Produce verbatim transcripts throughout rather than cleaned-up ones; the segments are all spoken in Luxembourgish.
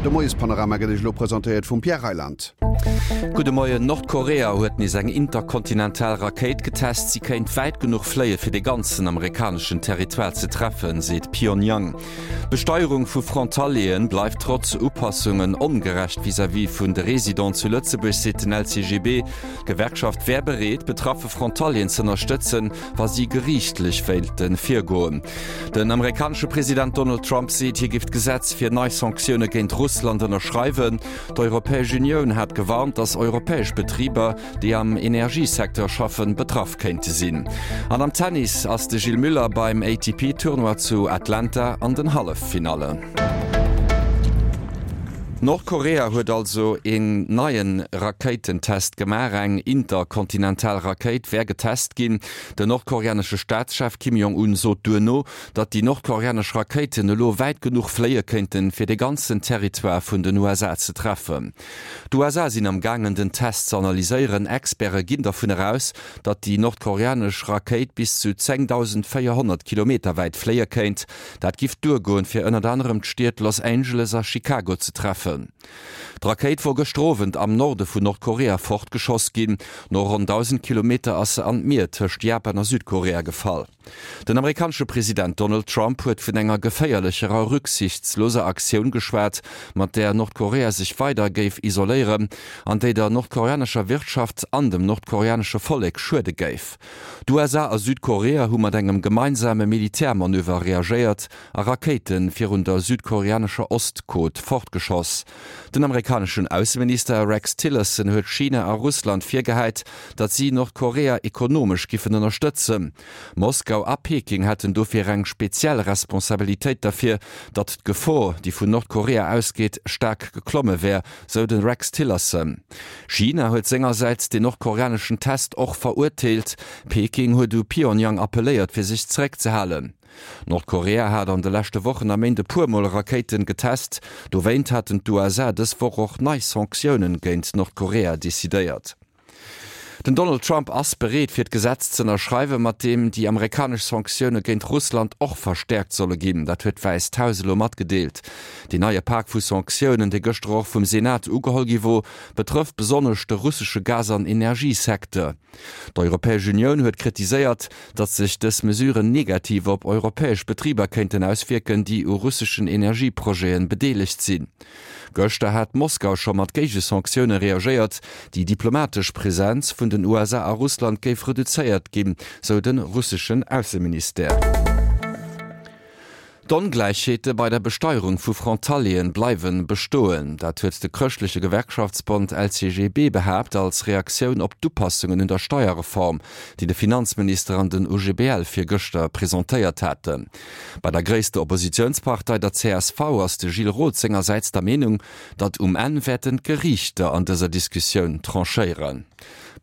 De Moiespanorama gëtt Iech elo presentéiert vum Pierre Reyland. Gudde Moien, Nordkorea huet nees eng interkontinental Rakéit getest. Si kéint wäit genuch fléie fir de ganzen amerikaneschen Territoire ze treffen, seet Pyongyang. D'Besteierung vu Frontalieren bleift trotz Upassungen ongerecht vis-à-vis vun de Residenten zu Lëtzebuerg, seet den L C G B. D'Gewerkschaft wär bereet, betraffe Frontalieren z'ënnerstëtzen, wa si geriichtlech wéilte virgoen. Den amerikanesche President Donald Trump seet, hie géif d'Gesetz fir nei Sanktioune géint Russland ënnerschreiwen. D'Europäesch Unioun hat gewarnt, datt europäesch Betriber, déi am Energiesecteur schaffen, betraff kéinte sinn. An am Tennis ass de Gilles Müller beim A T P-Tournoi zu Atlanta an den Halleffinallen. Nordkorea huet also een neien Rakéitentest gemaach. Eng interkontinental Rakéit wär getest ginn. Den nordkoreanesche Staatschef Kim Jong-un sot duerno, datt déi nordkoreanesch Rakéiten elo wäit genuch fléie kéinten, fir de ganzen Territoire vun den U S A ze treffen. D'U S A sinn am gaangen den Test ze analyséieren. Experte ginn dovun aus, datt déi nordkoreanesch Rakéit bis zu zéngdausendvéierhonnert Kilometer wäit fléie kéint. Dat giff duergoen, fir ënnert anerem d'Stied Los Angeles a Chicago ze treffen. D'Rakéit wor gëschter Owend am Norde vun Nordkorea fortgeschoss ginn. No ronn dausend Kilometer ass se an d'Mier tëscht Japan a Südkorea gefall. Den amerikanesche President Donald Trump huet vun enger geféierlecher a rücksichtsloser Aktioun geschwat, mat där Nordkorea sech weider géif isoléieren an déi der nordkoreanescher Wirtschaft an dem nordkoreanesche Vollek schuede géif. D'U S A a Südkorea hu mat engem gemeinsame Militärmanöver reagéiert a Rakéite virun der südkoreanescher Ostcote fortgeschoss. Den amerikaneschen Ausseminister Rex Tillerson huet China a Russland virgehäit, datt si Nordkorea ekonomesch giffen ënnerstëtzen. Moskau a Peking hätten dofir eng speziell Responsabilitéit dafir, datt d'Gefor, déi vun Nordkorea ausgeet, staark geklomme wär, sou de Rex Tillerson. China huet sengersäits den nordkoreaneschen Test och verurteelt. Peking huet u Pyongyang appelléiert, fir sech zeréckzehalen. Nordkorea hat an de leschte Wochen a Méint e puermol Rakéiten getest. Dowéint haten d'U S A dës Woch och nei Sanktioune géint Nordkorea decidéiert. Den Donald Trump ass bereet fir d'Gesetz ze ënnerschreiwen, mat deem déi amerikanesch Sanktioune géint Russland och verstäerkt solle ginn. Dat huet d'Wäisst Haus elo matgedeelt. Deen neie Pak vu Sanktiounen, dee gëschter och vum Senat ugeholl gi wor, betrëfft besonnesch de russesche Gas an Energiesecteur. D'Europäesch Unioun huet kritiséiert, datt sech dës Mesuren negativ op europäesch Betriber kéinten auswierken, déi u russeschen Energieprojete bedeelegt sinn. Gëschter hat Moskau scho mat Géigesanktioune reagéiert. Déi diplomatesch Presenz vun den U S A a Russland géif reduzéiert ginn, sou de russeschen Ausseministère. D'Ongläichheete bei der Besteierung vu Frontalieren bleiwe bestoen. Dat huet de chrëschtleche Gewerkschaftsbond L C G B behaapt als Reaktioun op d'Upassungen un der Steierreform, déi de Finanzminister an den O G B L virgëschter presentéiert haten. Bei der gréisster Oppositiounspartei, der C S V, ass de Gilles Roth sengersäits der Meenung, datt um Enn wäerten d'Geriichter an dëser Diskussioun tranchéieren.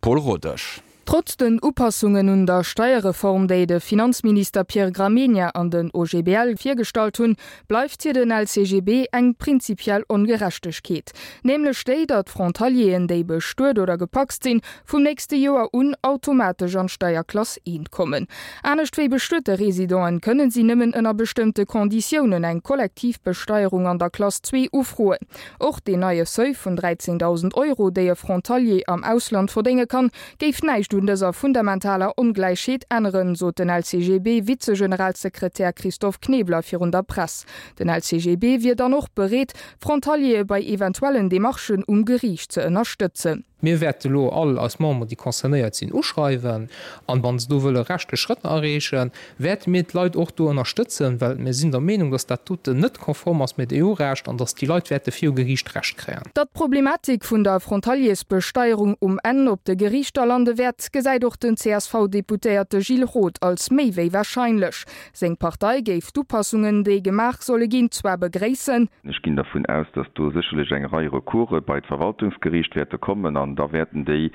Paul Rodesch. Trotz den Upassungen un der Steierreform, déi de Finanzminister Pierre Gramegna an den O G B L virgestallt hunn, bleift fir den L C G B eng prinzipiell Ongerechtegkeet. Nämlech déi, datt Frontalieren, déi bestuet oder gepacst sinn, vum nächste Joer un automatesch an Steierklass eent kommen. Anescht wéi bestuete Residenten kënnen si nëmmen ënner bestëmmte Konditiounen eng kollektiv Besteierung an der Klass zwee ufroen. Och deen neie Seuil vun dräizéngdausend Euro, déi e Frontalier am Ausland verdénge kann, géif näischt un dëser fundamentaler Ongläichheet änneren, sot den L C G B-Vizegeneralsekretär Christophe Knebler virun der Press. Den L C G B wier dann och bereet, Frontaliere bei eventuellen Demarchen um Geriicht ze ënnerstëtzen. Mir wäerte lo all eis Memberen, déi concernéiert sinn, uschreiwen an wann se do wëlle rechtlech Schrëtter erreechen, wäerte mir d'Leit och do ënnerstëtzen, well mir sinn der Meenung, dass dat doten net konform ass mat E U-Recht an dass déi Leit wäerte viru Geriicht Recht kréien. Datt d'Problematik vun der Frontaliersbesteierung um Enn op de Geriichter lande wäert, gesäit och den C S V-Deputéierte Gilles Roth als méi wéi warscheinlech. Seng Partei géif d'Upassungen, déi gemaach solle ginn, zwar begréissen. Ech ginn dervun aus, dass do sécherlech eng Rei Recourse bei d'Verwaltungsgeriicht wäerte kommen an da wäerten déi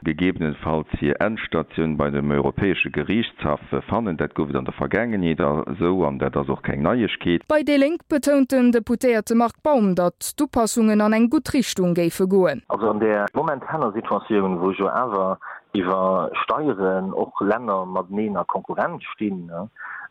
gegebenenfalls hir Endstatioun bei dem Europäesche Geriichtshaff fannen. Dat gouf et an der Vergaangenheet esou an dat ass och keng Neiegkeet. Bei déi Lénk betount den Deputéierte Marc Baum, datt d'Upassungen an eng gutt Richtung géife goen. Also an der momentaner Situatioun, wou jo awer iwwer Steieren och Länner mateneen a Konkurrenz stinn,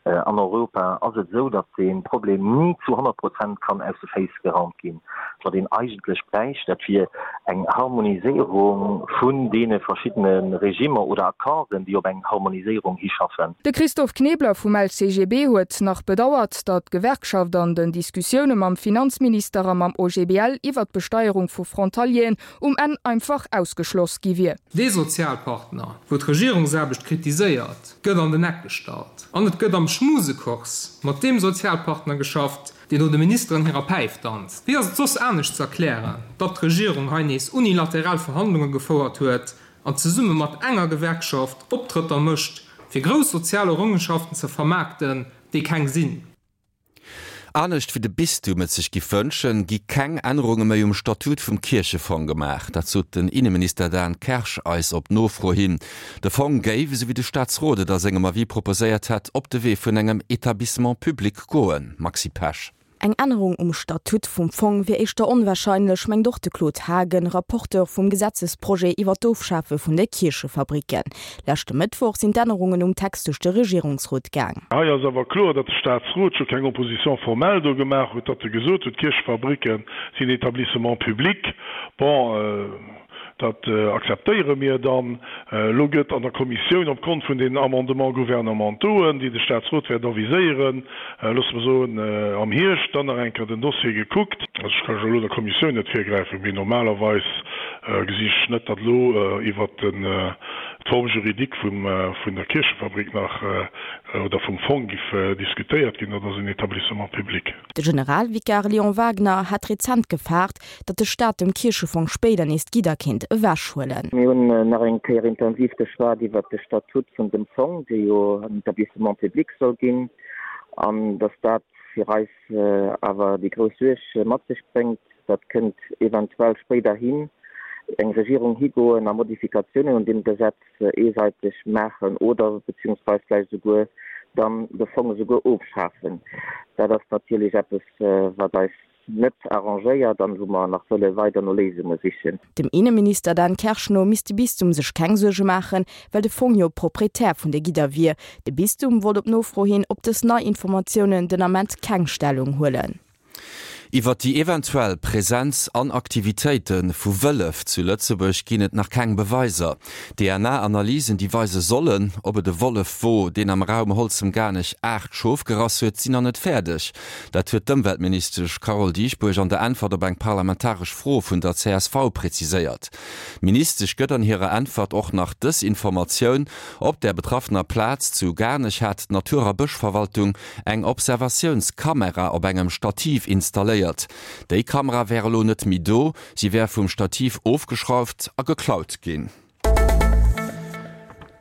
An Europa ass et esou, datt dee Problem ni zu honnert Prozent kann aus de Féiss geraumt ginn. Wat een eigentlech bräicht, dat wier eng Harmoniséierung vun deene verschiddene Regimmer oder Accorden, déi op eng Harmoniséierung hischaffen. De Christophe Knebler vum L C G B huet nach bedauert, datt d'Gewerkschaft an den Diskussioune mam Finanzminister a mam O G B L iwwer d'Besteierung vu Frontalieren um Enn einfach ausgeschloss gi wier. Dee Sozialpartner, wou d'Regierungsaarbecht kritiséiert, gëtt an den Eck gestallt. An et gëtt am Schmusekurs mat deem Sozialpartner geschafft, deen no de Ministeren hirer Päif danzt. Wéi ass et soss anescht ze erklären, datt d'Regierung hei nees unilateral Verhandlunge gefouert huet an zesumme mat enger Gewerkschaft Optrëtter mécht, fir grouss sozial Errongenschaften ze vermaarkten, déi keng sinn? Anescht wéi de Bistum et sech giff wënschen, gi keng Ännerunge méi um Statut vum Kierchefong gemaach. Dat sot den Inneminister Dan Kersch eis op Nofro hin. De Fong géif, esou wéi de Staatsrot et a sengem Avis proposéiert hätt, op de Wee vun engem Etablissement public goen. Maxi Pesch. Eng Ännerung um Statut vum Fong wier éischter onwarscheinlech, mengt och de Claude Haagen, Rapporteur vum Gesetzesprojet iwwer d'Ofschafe vun de Kierchefabricken. Leschte Mëttwoch sinn d'Ännerungen um Text duerch de Regierungsrot gaang. Hei ass awer kloer, datt de Staatsrot scho keng Opposition formelle do gemaach huet, datt e gesot huet, d'Kierchefabricke sinn Établissement public. Bon, dat akzeptéiere mir dann. Elo gëtt an der Kommissioun opgrond vun den Amendements gouvernementauxen, déi de Staatsrot wäert aviséieren, loosse mer soen am Hierscht, dann nach eng Kéier den Dossier gekuckt. Also ech kann jo elo der Kommissioun net virgräifen, mee normalerweis gesi ech net, datt elo iwwert d'Forme juridique vum vun der Kierchefabrik nach oder vum Fong giff diskutéiert ginn. Dat ass en Établissement public. De Generalvikar Léon Wagner hat rezent gefaart, datt de Staat dem Kierchefong spéider nees d'Gidder kéint ewechhuelen. Mir hunn nach eng Kéier intensiv geschwat iwwert de Statut vun dem Fong, dee jo en Établissement public soll ginn, an datt dat fir eis awer déi grouss Suerg mat sech bréngt, dat kënnt eventuell spéiderhin eng Regierung higoen a Modifikatiounen un deem Gesetz eesäiteg maachen oder beziehungsweis vläicht esouguer dann de Fong esouguer ofschafen. Dat ass natierlech eppes, wat eis net arrangéiert an wou mer nach wëlle weider no Léisunge sichen. Dem Inneminister Dan Kersch no misst de Bistum sech keng Suerge maachen, well de Fong jo Proprietär vun de Gidder wier. De Bistum wollt op Nofro hin op dës nei Informatiounen den Ament keng Stellung huelen. Iwwer déi eventuell Presenz an Aktivitéite vu Wëllef zu Lëtzebuerg ginn et nach keng Beweiser. D N A-Analysen, déi weise sollen, ob et e Wollef wor, deen am Raum Holzem-Garnech aacht Schof gerass huet, sinn nach net fäerdeg. Dat huet d'Ëmweltministesch Carole Dieschbourg an der Äntwert op eng parlamentaresch Fro vun der C S V präziséiert. D'Ministesch gëtt an hirer Äntwert och nach dës Informatioun, Op der betraffener Plaz zu Garnech hat d'Natur a Bëschverwaltung eng Observatiounskamera op engem Stativ installéiert. Déi Kamera wär elo net méi do, si wär vum Stativ ofgeschrauft a geklaut ginn.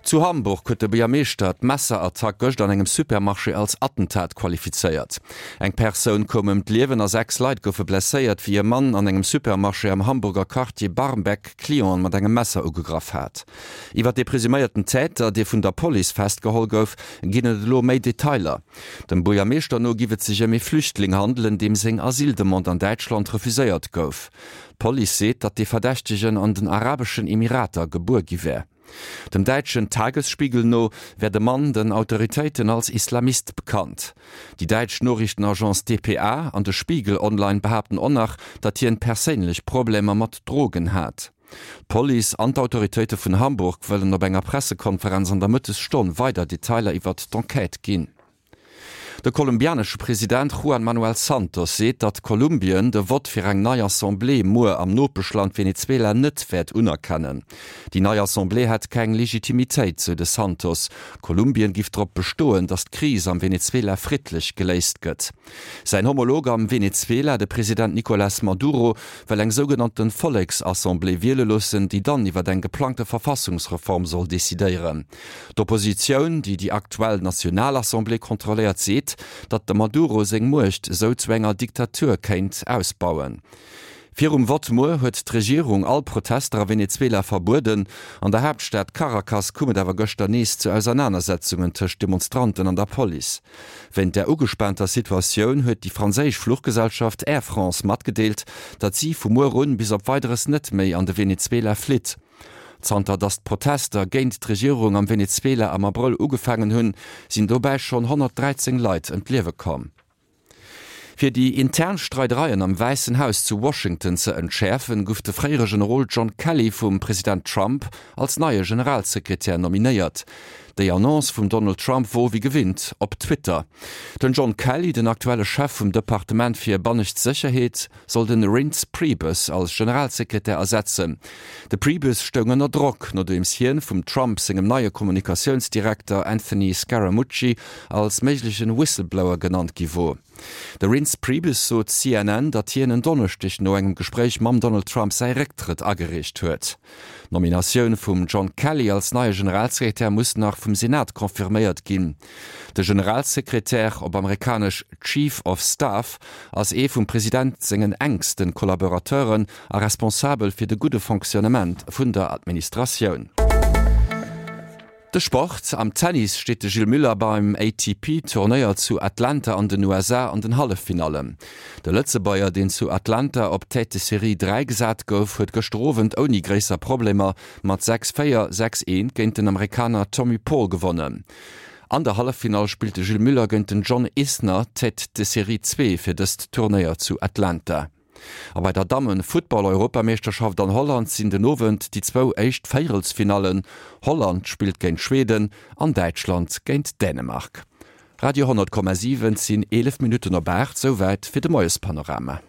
Zu Hamburg huet de Buergermeeschter d'Messerattack gëscht an engem Supermarché als Attentat qualifizéiert. Eng Persoun koum ëm d'Liewen a sechs Leit goufe blesséiert, wéi e Mann an engem Supermarché am Hamburger Quartier Barmbek Clienten mat engem Messer ugegraff hat. Iwwer de presuméierten Täter, dee vun der Police festgeholl gouf, ginn et elo méi Detailer. Dem Buergermeeschter no giff et sech ëm ee Flüchtling handelen, deem seng Asyldemande an Däitschland refuséiert gouf. D'Police seet, datt de Verdächtegen an den Arabeschen Emirater gebuer gi wär. Dem däitschen Tagesspiegel no wär de Mann den Autoritéiten als Islamist bekannt. Déi däitsch Noriichtenagence D P A an de Spiegel Online behaapten och nach, datt hien perséinlech Problemer mat Drogen hat. D'Police an d'Autoritéite vun Hamburg wëllen op enger Pressekonferenz an der Mëttesstonn weider Detailer iwwer d'Enquête ginn. De kolumbianesche President Juan Manuel Santos seet, datt Kolumbien de Vott fir eng nei Assemblée muer am Nopeschland Venezuela net wäert unerkennen. Déi nei Assemblée hätt keng Legitimitéit, sou de Santos. Kolumbien giff drop bestoen, datt d'Kris am Venezuela friddlech geléist gëtt. Säin Homolog am Venezuela, de President Nicolás Maduro, wëll eng sougenannte Volleksassemblée wiele loossen, déi dann iwwer eng geplangte Verfassungsreform soll decidéieren. D'Oppositioun, déi déi aktuell Nationalassemblée kontrolléiert, seet, datt de Maduro seng Muecht esou zu enger Diktatur kéint ausbauen. Virum Vott muer huet d'Regierung all Protester a Venezuela verbueden. An der Haaptstad Caracas koum et awer gëschter nees zu Ausernanersetzungen tëscht Demonstranten an der Police. Wéinst der ugespaanter Situatioun huet déi franséisch Fluchgesellschaft Air France matgedeelt, datt si vu muer un bis op Weideres net méi an de Venezuela flitt. Zanter datt d'Protester géint d'Regierung am Venezuela am Abrëll ugefaangen hunn, sinn dobäi schonn honnertdräizéng Leit ëm d'Liewe komm. Fir déi intern Streidereien am Wäissen Haus zu Washington ze entschäerfen, gouf de fréiere Generol John Kelly vum President Trump als neie Generalsekretär nominéiert. Déi Annonce vum Donald Trump wor wéi gewinnt op Twitter. Den John Kelly, den aktuelle Chef vum Departement fir bannescht Sécherheet, soll de Reince Priebus als Generalsekretär ersetzen. De Priebus stoung ënner Drock, nodeems hien vum Trump sengem neie Kommunikatiounsdirekter Anthony Scaramucci als méiglechen Whistleblower genannt gi wor. De Reince Priebus sot C N N, datt hien en Donneschdeg no engem Gespréich mam Donald Trump säi Récktrëtt agereecht huet. D'Nominatioun vum John Kelly als neie Generalsekretär muss nach vum Senat confirméiert ginn. De Generalsekretär, op amerikanesch Chief of Staff, ass ee vum President sengen enkste Kollaborateuren a responsabel fir de gudde Fonctionnement vun der Administratioun. De Sport, Am Tennis steet de Gilles Müller beim A T P-Turnéier zu Atlanta an den U S A an den Halleffinallen. De Lëtzebuerger, deen zu Atlanta op Tête de Série dräi gesat gouf, huet gëschter Owend ouni gréisser Problemer mat sechs véier, sechs eent géint den Amerikaner Tommy Paul gewonnen. An der Halleffinall spillt de Gilles Müller géint den John Isner, Tête de Série zwee fir dëst Turnéier zu Atlanta. A bei der Dammen-Futtball-Europameeschterschaft an Holland sinn den Owend déi zwou éischt Véierelsfinallen, Holland spillt géint Schweden an Däitschland géint Dänemark. Radio honnert Komma siwen, Et sinn eelef Minutten op aacht, souwäit fir de Moiespanorama.